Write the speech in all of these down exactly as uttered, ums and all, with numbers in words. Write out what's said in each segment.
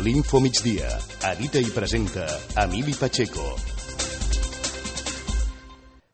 L'Info Migdia. Edita i presenta Emili Pacheco.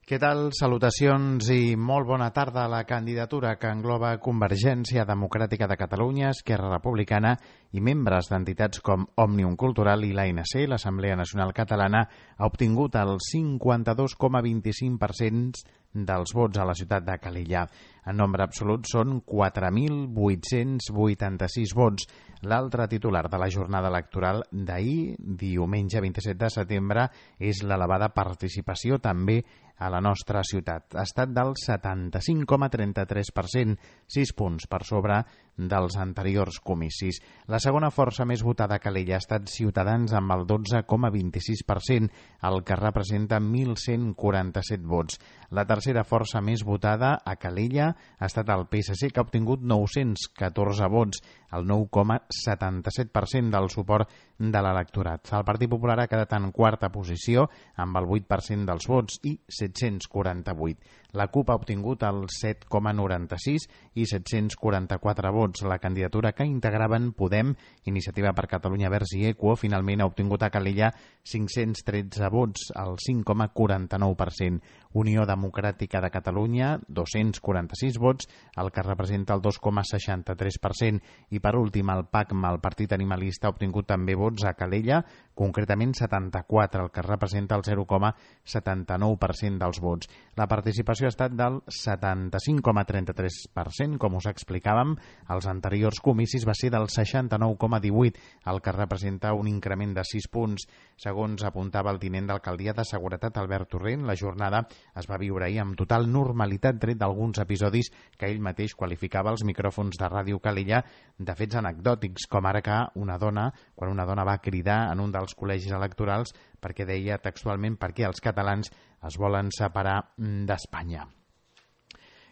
Què tal? Salutacions i molt bona tarda. La candidatura que engloba Convergència Democràtica de Catalunya, Esquerra Republicana i membres d'entitats com Òmnium Cultural i l'A N C, l'Assemblea Nacional Catalana, ha obtingut el cinquanta-dos coma vint-i-cinc per cent dels vots a la ciutat de Calella. En nombre absolut són quatre mil vuit-cents vuitanta-sis vots. L'altre titular de la jornada electoral d'ahir, diumenge vint-i-set de setembre, és l'elevada participació també a la nostra ciutat. Ha estat del setanta-cinc coma trenta-tres per cent, sis punts per sobre dels anteriors comicis. La segona força més votada a Calella ha estat Ciutadans amb el dotze coma vint-i-sis per cent, el que representa mil cent quaranta-set vots. La tercera força més votada a Calella ha estat el P S C, que ha obtingut nou-cents catorze vots, el nou coma setanta-set per cent del suport de l'electorat. El Partit Popular ha quedat en quarta posició amb el vuit per cent dels vots i set-cents quaranta-vuit. La CUP ha obtingut el set coma noranta-sis i set-cents quaranta-quatre vots. La candidatura que integraven Podem, Iniciativa per Catalunya Verds i Equo finalment ha obtingut a Calella cinc-cents tretze vots, el cinc coma quaranta-nou per cent. Unió Democràtica de Catalunya, dos-cents quaranta-sis vots, el que representa el dos coma seixanta-tres per cent. I per últim, el PACMA, el Partit Animalista, ha obtingut també vots a Calella, concretament setanta-quatre, el que representa el zero coma setanta-nou per cent dels vots. La participació ha estat del setanta-cinc coma trenta-tres per cent, com us explicàvem. Els anteriors comicis va ser del seixanta-nou coma divuit, el que representa un increment de sis punts. Segons apuntava el tinent d'alcaldia de Seguretat, Albert Torrent, la jornada es va viure ahir amb total normalitat, tret d'alguns episodis que ell mateix qualificava als micròfons de Ràdio Calella de fets anecdòtics, com ara que una dona, quan una dona va cridar en un dels col·legis electorals perquè deia textualment perquè els catalans es volen separar d'Espanya.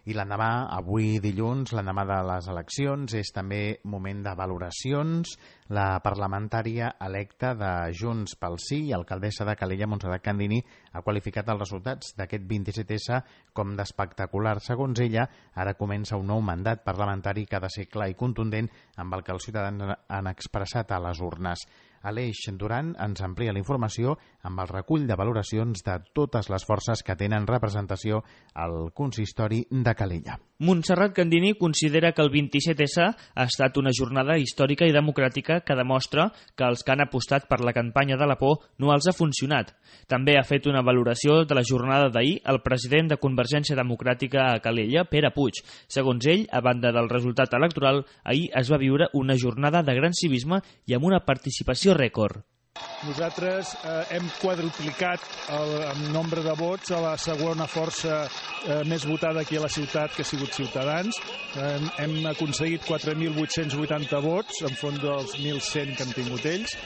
I l'endemà, avui dilluns, l'endemà de les eleccions, és també moment de valoracions. La parlamentària electa de Junts pel Sí i alcaldessa de Calella, Montserrat Candini, ha qualificat els resultats d'aquest vint-i-set essa com d'espectacular. Segons ella, ara comença un nou mandat parlamentari que ha de ser clar i contundent amb el que els ciutadans han expressat a les urnes. Aleix Duran ens amplia la informació amb el recull de valoracions de totes les forces que tenen representació al consistori de Calella. Montserrat Candini considera que el vint-i-set essa ha estat una jornada històrica i democràtica que demostra que els que han apostat per la campanya de la por no els ha funcionat. També ha fet una valoració de la jornada d'ahir el president de Convergència Democràtica a Calella, Pere Puig. Segons ell, a banda del resultat electoral, ahir es va viure una jornada de gran civisme i amb una participació rècord. Nosaltres eh, hem quadruplicat el, el nombre de vots a la segona força eh, més votada aquí a la ciutat, que ha sigut Ciutadans. Eh, hem aconseguit quatre mil vuit-cents vuitanta vots enfront dels mil cent que han tingut ells,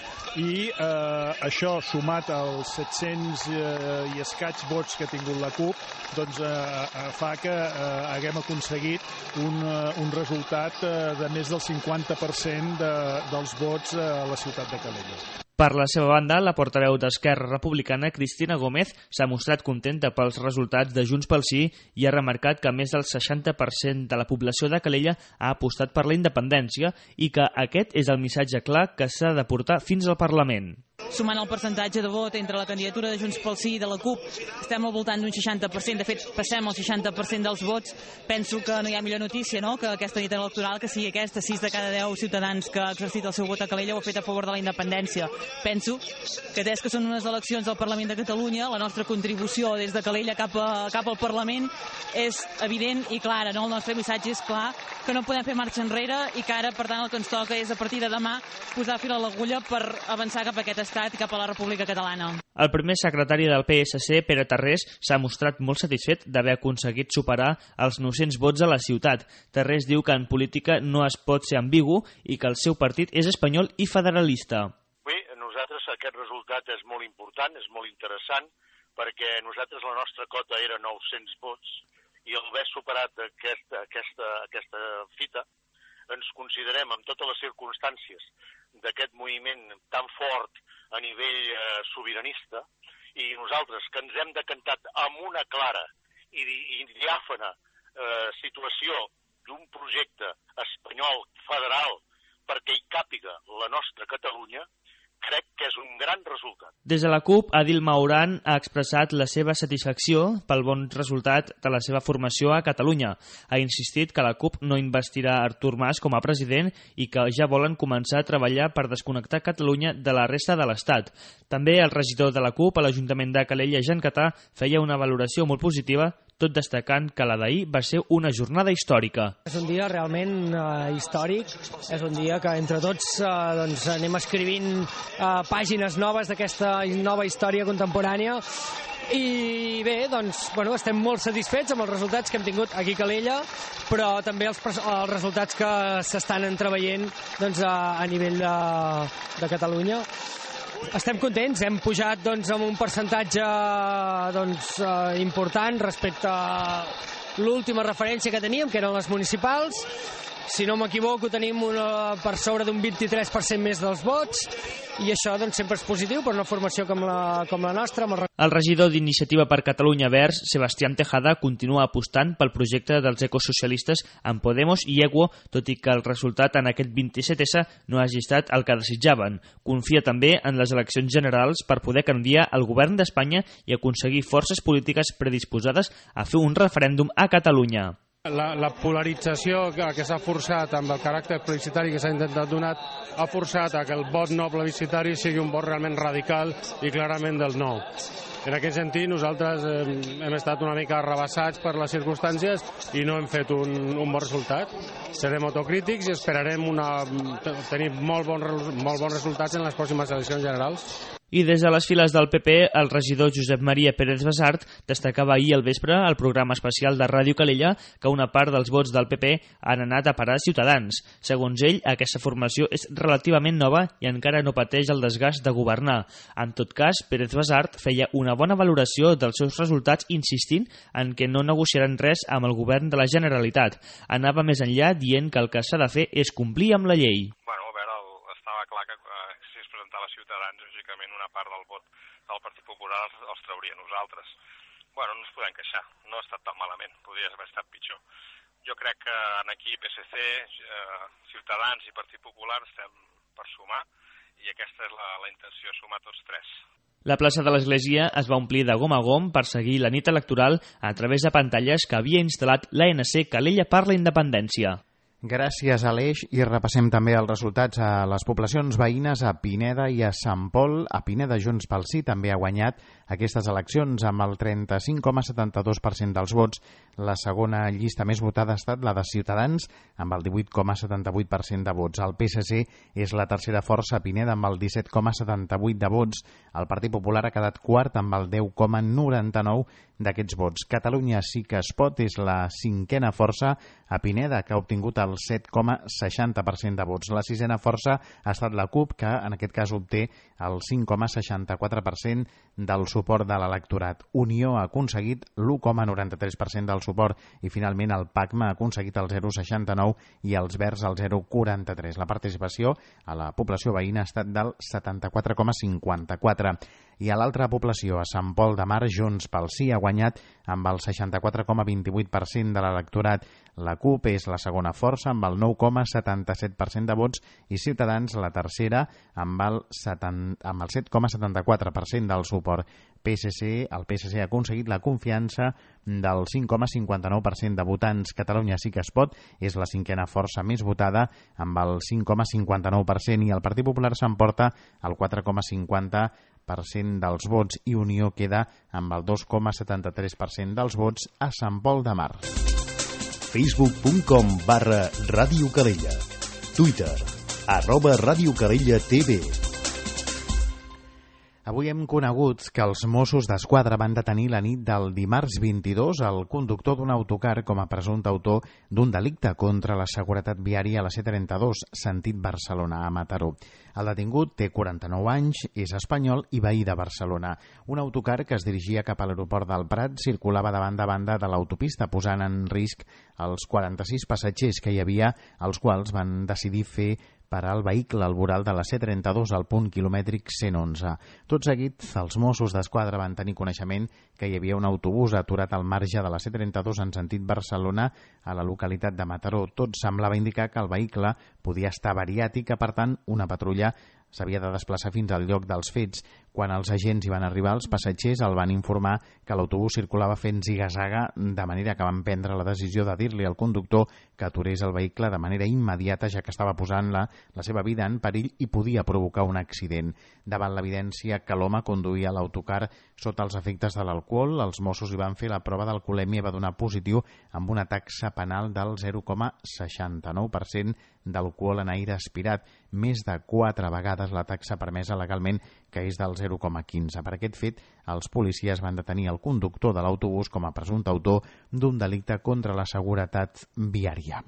i eh, això sumat als set-cents eh, i escaig vots que ha tingut la CUP, doncs eh, fa que eh, haguem aconseguit un, uh, un resultat eh, de més del cinquanta per cent de, dels vots a la ciutat de Calella. Per la seva banda, la portaveu d'Esquerra Republicana, Cristina Gómez, s'ha mostrat contenta pels resultats de Junts pel Sí i ha remarcat que més del seixanta per cent de la població de Calella ha apostat per la independència i que aquest és el missatge clar que s'ha de portar fins al Parlament. Sumant el percentatge de vot entre la candidatura de Junts pel Sí i de la CUP, estem al voltant d'un seixanta per cent. De fet, passem al seixanta per cent dels vots. Penso que no hi ha millor notícia, no?, que aquesta nit electoral que sigui aquesta. sis de cada deu ciutadans que ha exercit el seu vot a Calella ho ha fet a favor de la independència. Penso que des que són unes eleccions al Parlament de Catalunya, la nostra contribució des de Calella cap, a, cap al Parlament és evident i clara, no? El nostre missatge és clar, que no podem fer marxa enrere i que ara, per tant, el que ens toca és a partir de demà posar fil a l'agulla per avançar cap a aquest estat i cap a la República Catalana. El primer secretari del P S C, Pere Tarrés, s'ha mostrat molt satisfet d'haver aconseguit superar els nou-cents vots a la ciutat. Tarrés diu que en política no es pot ser ambigu i que el seu partit és espanyol i federalista. Bé, nosaltres aquest resultat és molt important, és molt interessant, perquè nosaltres la nostra cota era nou-cents vots i al haver superat aquesta, aquesta, aquesta fita ens considerem, amb totes les circumstàncies d'aquest moviment tan fort a nivell eh, sobiranista, i nosaltres que ens hem decantat amb una clara i, i diàfana eh, situació d'un projecte espanyol federal perquè hi càpiga la nostra Catalunya, crec que és un gran resultat. Des de la CUP, Adil Mauran ha expressat la seva satisfacció pel bon resultat de la seva formació a Catalunya. Ha insistit que la CUP no investirà Artur Mas com a president i que ja volen començar a treballar per desconnectar Catalunya de la resta de l'Estat. També el regidor de la CUP a l'Ajuntament de Calella, Jean Catà, feia una valoració molt positiva, tot destacant que la d'ahir va ser una jornada històrica. És un dia realment uh, històric, és un dia que entre tots uh, doncs, anem escrivint uh, pàgines noves d'aquesta nova història contemporània i bé, doncs, bueno, estem molt satisfets amb els resultats que hem tingut aquí a Calella, però també els, els resultats que s'estan entreveient doncs, a, a nivell de, de Catalunya. Estem contents, hem pujat doncs, amb un percentatge doncs, eh, important respecte a l'última referència que teníem, que eren les municipals. Si no m'equivoco, tenim una, per sobre d'un vint-i-tres per cent més dels vots, i això doncs, sempre és positiu per una formació com la, com la nostra. El... el regidor d'Iniciativa per Catalunya Verds, Sebastián Tejada, continua apostant pel projecte dels ecosocialistes amb Podemos i Equo, tot i que el resultat en aquest vint-i-set essa no hagi estat el que desitjaven. Confia també en les eleccions generals per poder canviar el govern d'Espanya i aconseguir forces polítiques predisposades a fer un referèndum a Catalunya. La, la polarització que, que s'ha forçat amb el caràcter plebiscitari que s'ha intentat donar ha forçat a que el vot no plebiscitari sigui un vot realment radical i clarament del no. En aquest sentit, nosaltres eh, hem estat una mica arrabassats per les circumstàncies i no hem fet un, un bon resultat. Serem autocrítics i esperarem una, tenir molt, bon, molt bons resultats en les pròximes eleccions generals. I des de les files del P P, el regidor Josep Maria Pérez Basart destacava ahir al vespre al programa especial de Ràdio Calella que una part dels vots del P P han anat a parar a Ciutadans. Segons ell, aquesta formació és relativament nova i encara no pateix el desgast de governar. En tot cas, Pérez Basart feia una bona valoració dels seus resultats insistint en que no negociaran res amb el govern de la Generalitat. Anava més enllà dient que el que s'ha de fer és complir amb la llei. Bueno, a veure, el, estava clar que eh, si es presentava Ciutadans, lògicament una part del vot del Partit Popular els, els trauria nosaltres. Bueno, no ens podem queixar, no ha estat tan malament, podria haver estat pitjor. Jo crec que aquí P S C, eh, Ciutadans i Partit Popular estem per sumar i aquesta és la, la intenció, sumar tots tres. La plaça de l'Església es va omplir de gom a gom per seguir la nit electoral a través de pantalles que havia instal·lat l'A N C Calella per la Independència. Gràcies, Aleix, i repassem també els resultats a les poblacions veïnes a Pineda i a Sant Pol. A Pineda, Junts pel Sí també ha guanyat aquestes eleccions amb el trenta-cinc coma setanta-dos per cent dels vots. La segona llista més votada ha estat la de Ciutadans, amb el divuit coma setanta-vuit per cent de vots. El P S C és la tercera força a Pineda amb el disset coma setanta-vuit de vots. El Partit Popular ha quedat quart amb el deu coma noranta-nou d'aquests vots. Catalunya Sí que es pot és la cinquena força a Pineda, que ha obtingut el set coma seixanta per cent de vots. La sisena força ha estat la CUP, que en aquest cas obté el cinc coma seixanta-quatre per cent del suport de l'electorat. Unió ha aconseguit l'u coma noranta-tres per cent del suport i finalment el PACMA ha aconseguit el zero coma seixanta-nou i els Verds el zero coma quaranta-tres. La participació a la població veïna ha estat del setanta-quatre coma cinquanta-quatre. I a l'altra població, a Sant Pol de Mar, Junts pel Sí ha guanyat amb el seixanta-quatre coma vint-i-vuit per cent de l'electorat. La CUP és la segona força amb el nou coma setanta-set per cent de vots i Ciutadans la tercera amb el, amb el set coma setanta-quatre per cent del suport. P S C, el P S C ha aconseguit la confiança del cinc coma cinquanta-nou per cent de votants. Catalunya Sí que es pot és la cinquena força més votada amb el cinc coma cinquanta-nou per cent i el Partit Popular s'emporta el quatre coma cinquanta per cent dels vots i Unió queda amb el dos coma setanta-tres per cent dels vots a Sant Pol de Mar. facebook punt com barra Ràdio Calella. Twitter, arroba Ràdio Calella T V. Avui hem conegut que els Mossos d'Esquadra van detenir la nit del dimarts vint-i-dos el conductor d'un autocar com a presumpte autor d'un delicte contra la seguretat viària a la C trenta-dos, sentit Barcelona a Mataró. El detingut té quaranta-nou anys, és espanyol i veí de Barcelona. Un autocar que es dirigia cap a l'aeroport del Prat circulava de banda a banda de l'autopista, posant en risc els quaranta-sis passatgers que hi havia, els quals van decidir fer parar el vehicle al voral de la C trenta-dos al punt quilomètric cent onze. Tot seguit, els Mossos d'Esquadra van tenir coneixement que hi havia un autobús aturat al marge de la C trenta-dos en sentit Barcelona a la localitat de Mataró. Tot semblava indicar que el vehicle podia estar avariat i que, per tant, una patrulla s'havia de desplaçar fins al lloc dels fets. Quan els agents hi van arribar, els passatgers el van informar que l'autobús circulava fent ziga-zaga, de manera que van prendre la decisió de dir-li al conductor que aturés el vehicle de manera immediata, ja que estava posant la, la seva vida en perill i podia provocar un accident. Davant l'evidència que l'home conduïa l'autocar sota els efectes de l'alcohol, els Mossos hi van fer la prova d'alcoholèmia i va donar positiu amb una taxa penal del zero coma seixanta-nou per cent d'alcohol en aire aspirat, més de quatre vegades la taxa permesa legalment, que és del zero coma quinze. Per aquest fet, els policies van detenir el conductor de l'autobús com a presumpte autor d'un delicte contra la seguretat viària.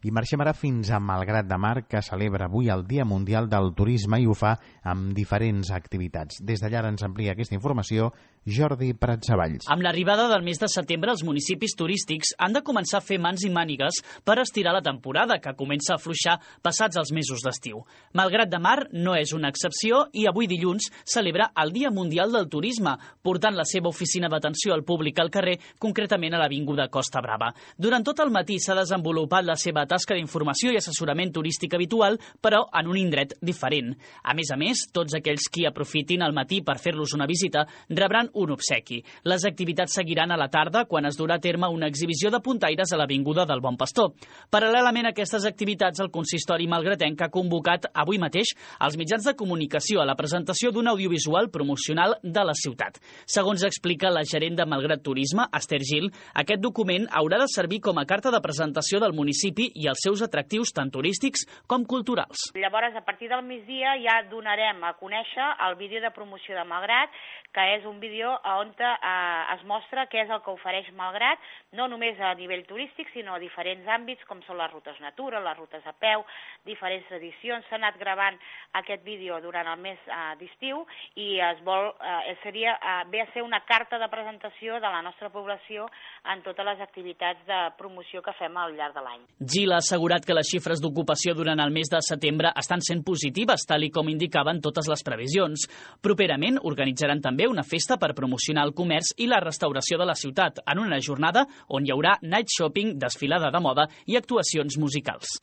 I marxem ara fins a Malgrat de Mar, que celebra avui el Dia Mundial del Turisme i ho fa amb diferents activitats. Des d'allà ens amplia aquesta informació Jordi Pratsavalls. Amb l'arribada del mes de setembre, els municipis turístics han de començar a fer mans i mànigues per estirar la temporada, que comença a afluixar passats els mesos d'estiu. Malgrat de Mar no és una excepció i avui dilluns celebra el Dia Mundial del Turisme, portant la seva oficina d'atenció al públic al carrer, concretament a l'Avinguda Costa Brava. Durant tot el matí s'ha desenvolupat la seva tasca d'informació i assessorament turístic habitual, però en un indret diferent. A més a més, tots aquells qui aprofitin el matí per fer-los una visita rebran un obsequi. Les activitats seguiran a la tarda, quan es durà a terme una exhibició de puntaires a l'Avinguda del Bon Pastor. Paral·lelament a aquestes activitats, el consistori malgratenc ha convocat avui mateix els mitjans de comunicació a la presentació d'un audiovisual promocional de la ciutat. Segons explica la gerent de Malgrat Turisme, Esther Gil, aquest document haurà de servir com a carta de presentació del municipi i els seus atractius tant turístics com culturals. Llavors, a partir del migdia ja donarem a conèixer el vídeo de promoció de Malgrat, que és un vídeo on eh, es mostra què és el que ofereix Malgrat, no només a nivell turístic, sinó a diferents àmbits, com són les rutes natura, les rutes a peu, diferents tradicions. S'ha anat gravant aquest vídeo durant el mes eh, d'estiu i es vol, eh, seria, eh, ve a ser una carta de presentació de la nostra població en totes les activitats de promoció que fem al llarg de l'any. Gil ha assegurat que les xifres d'ocupació durant el mes de setembre estan sent positives, tal i com indicaven totes les previsions. Properament organitzaran també una festa per promocionar el comerç i la restauració de la ciutat, en una jornada on hi haurà night shopping, desfilada de moda i actuacions musicals.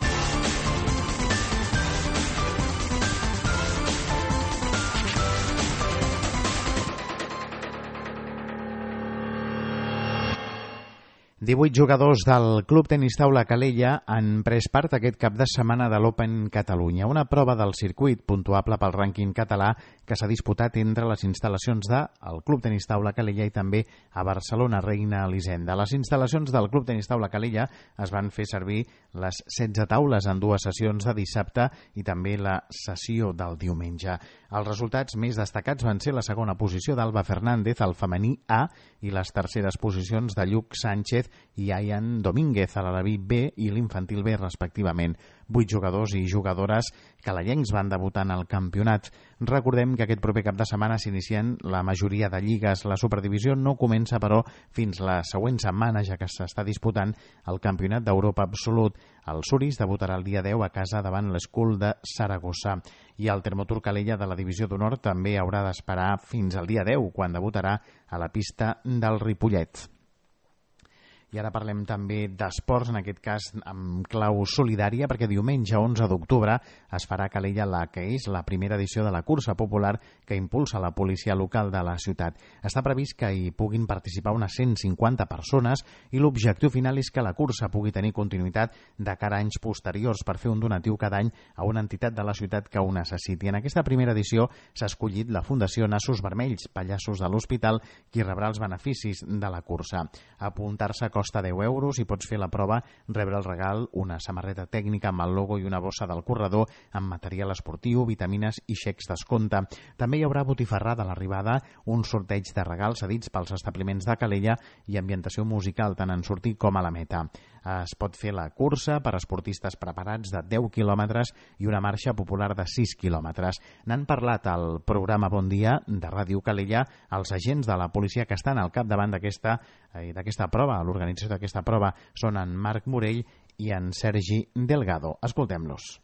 divuit jugadors del Club Tenis Taula Calella han pres part aquest cap de setmana de l'Open Catalunya, una prova del circuit puntuable pel rànquing català que s'ha disputat entre les instal·lacions del Club Tenis Taula Calella i també a Barcelona, Reina Elisenda. A les instal·lacions del Club Tenis Taula Calella es van fer servir les setze taules en dues sessions de dissabte i també la sessió del diumenge. Els resultats més destacats van ser la segona posició d'Alba Fernández al femení A i les terceres posicions de Lluc Sánchez i Ayan Domínguez a l'Alaví B i l'Infantil B, respectivament. Vuit jugadors i jugadores calellencs van debutar en el campionat. Recordem que aquest proper cap de setmana s'inicien la majoria de lligues. La Superdivisió no comença, però, fins la següent setmana, ja que s'està disputant el Campionat d'Europa Absolut. El Suris debutarà el dia deu a casa davant l'Escul de Saragossa. I el Termotur Calella de la Divisió d'Honor també haurà d'esperar fins al dia deu, quan debutarà a la pista del Ripollet. I ara parlem també d'esports, en aquest cas amb clau solidària, perquè diumenge onze d'octubre es farà a Calella la que és la primera edició de la cursa popular que impulsa la policia local de la ciutat. Està previst que hi puguin participar unes cent cinquanta persones i l'objectiu final és que la cursa pugui tenir continuïtat de cara a anys posteriors per fer un donatiu cada any a una entitat de la ciutat que ho necessiti. En aquesta primera edició s'ha escollit la Fundació Nassos Vermells, Pallassos de l'Hospital, qui rebrà els beneficis de la cursa. Apuntar-se costa deu euros i pots fer la prova, rebre el regal, una samarreta tècnica amb el logo i una bossa del corredor amb material esportiu, vitamines i xecs d'escompte. També hi haurà botifarrada a l'arribada, un sorteig de regals cedits pels establiments de Calella i ambientació musical tant en sortir com a la meta. Es pot fer la cursa per a esportistes preparats de deu quilòmetres i una marxa popular de sis quilòmetres. N'han parlat al programa Bon Dia de Ràdio Calella els agents de la policia que estan al capdavant d'aquesta eh, d'aquesta prova. L'organització d'aquesta prova són en Marc Morell i en Sergi Delgado. Escoltem-los.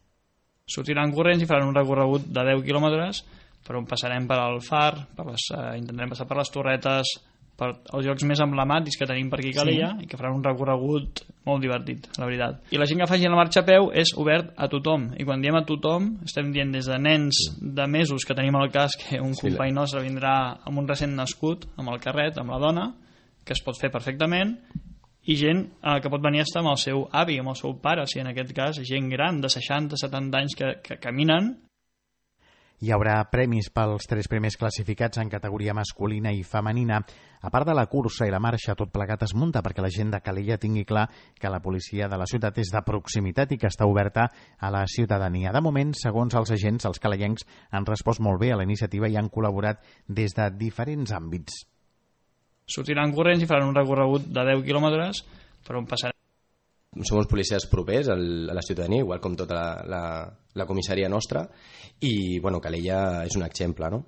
Sortiran corrents i faran un recorregut de deu quilòmetres per on passarem per al Far, per les, eh, intentarem passar per les Torretes, per els llocs més emblemàtics que tenim per aquí a Calella, sí. I que faran un recorregut molt divertit, la veritat. I la gent que faci la marxa a peu és obert a tothom, i quan diem a tothom estem dient des de nens de mesos que tenim al cas que un sí, company nostre vindrà amb un recent nascut, amb el carret, amb la dona, que es pot fer perfectament, i gent eh, que pot venir a estar amb el seu avi, amb el seu pare, si en aquest cas gent gran de seixanta setanta anys que, que caminen. Hi haurà premis pels tres primers classificats en categoria masculina i femenina. A part de la cursa i la marxa, tot plegat es munta perquè la gent de Calella tingui clar que la policia de la ciutat és de proximitat i que està oberta a la ciutadania. De moment, segons els agents, els calellencs han respost molt bé a la iniciativa i han col·laborat des de diferents àmbits. Sortiran corrents i faran un recorregut de deu quilòmetres per on passarem. Som uns policies propers a la ciutadania, igual com tota la, la, la comissaria nostra, i bueno, Calella és un exemple, no?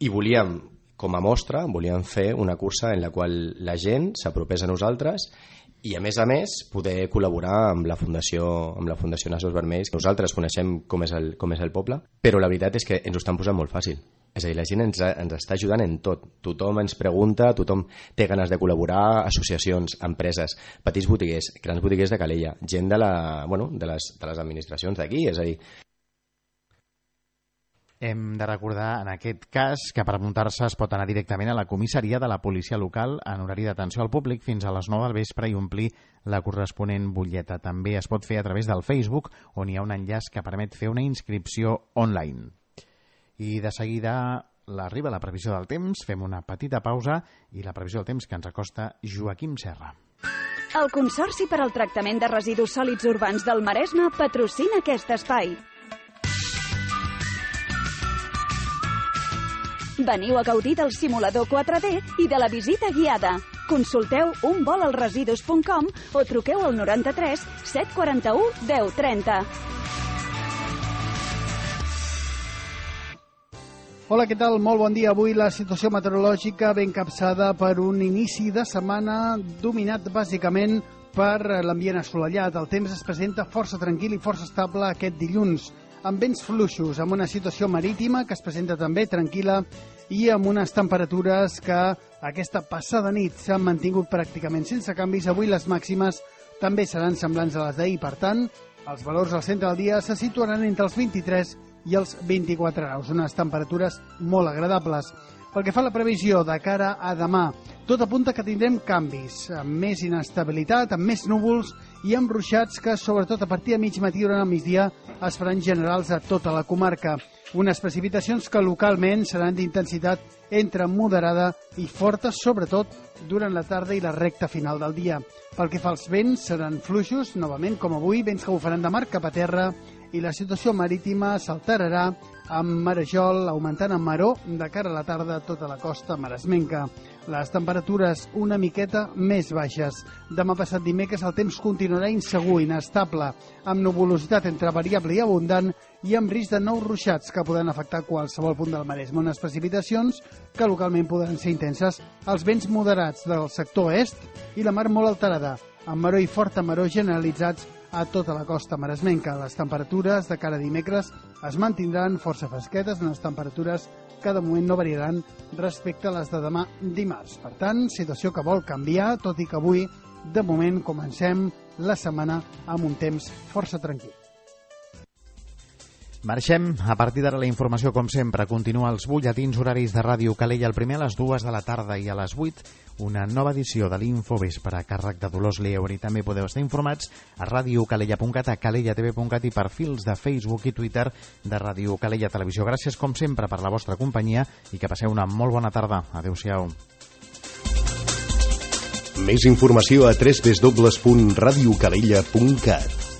I volíem, com a mostra, volíem fer una cursa en la qual la gent s'apropés a nosaltres i, a més a més, poder col·laborar amb la Fundació, amb la Fundació Nassos Vermells. Nosaltres coneixem com és, el, com és el poble, però la veritat és que ens ho estan posant molt fàcil. És a dir, la gent ens, ens està ajudant en tot. Tothom ens pregunta, tothom té ganes de col·laborar, associacions, empreses, petits botiguers, grans botiguers de Calella, gent de, la, bueno, de, les, de les administracions d'aquí, és a dir... Hem de recordar, en aquest cas, que per apuntar-se es pot anar directament a la comissaria de la policia local en horari d'atenció al públic fins a les nou del vespre i omplir la corresponent butlleta. També es pot fer a través del Facebook, on hi ha un enllaç que permet fer una inscripció online. I de seguida l'arriba la previsió del temps, fem una petita pausa i la previsió del temps que ens acosta Joaquim Serra. El Consorci per al Tractament de Residus Sòlids Urbans del Maresme patrocina aquest espai. Veniu a gaudir del simulador quatre D i de la visita guiada. Consulteu un vol als residus punt com o truqueu al noranta-tres set quaranta-u deu trenta. Hola, què tal? Molt bon dia. Avui la situació meteorològica ben capçada per un inici de setmana dominat bàsicament per l'ambient assolellat. El temps es presenta força tranquil i força estable aquest dilluns, amb vents fluixos, amb una situació marítima que es presenta també tranquil·la i amb unes temperatures que aquesta passada nit s'han mantingut pràcticament sense canvis. Avui les màximes també seran semblants a les d'ahir. Per tant, els valors al centre del dia se situaran entre els vint-i-tres i els vint-i-quatre graus, unes temperatures molt agradables. Pel que fa a la previsió de cara a demà, tot apunta que tindrem canvis, amb més inestabilitat, amb més núvols i amb ruixats que, sobretot a partir de mig matí durant el migdia, es faran generals a tota la comarca. Unes precipitacions que localment seran d'intensitat entre moderada i forta, sobretot durant la tarda i la recta final del dia. Pel que fa als vents, seran fluixos, novament, com avui, vents que bufaran de mar cap a terra, i la situació marítima s'alterarà amb marejol augmentant en maró de cara a la tarda a tota la costa maresmenca. Les temperatures una miqueta més baixes. Demà passat dimecres el temps continuarà insegur, inestable, amb nuvolositat entre variable i abundant i amb risc de nous ruixats que poden afectar qualsevol punt del Maresme. Unes precipitacions que localment podran ser intenses, els vents moderats del sector est i la mar molt alterada, amb maró i forta maró generalitzats a tota la costa maresmenca. Les temperatures de cara a dimecres es mantindran força fresquetes, unes temperatures que de moment no variaran respecte a les de demà dimarts. Per tant, situació que vol canviar, tot i que avui, de moment, comencem la setmana amb un temps força tranquil. Marxem. A partir d'ara la informació, com sempre, continua als butlletins horaris de Ràdio Calella, el primer a les dues de la tarda i a les vuit una nova edició de l'Infovespre a càrrec de Dolors Lieber. I també podeu estar informats a radiocalella punt cat, a calella t v punt cat i perfils de Facebook i Twitter de Ràdio Calella Televisió. Gràcies, com sempre, per la vostra companyia i que passeu una molt bona tarda. Adéu-siau. Més informació a w w w punt radiocalella punt cat.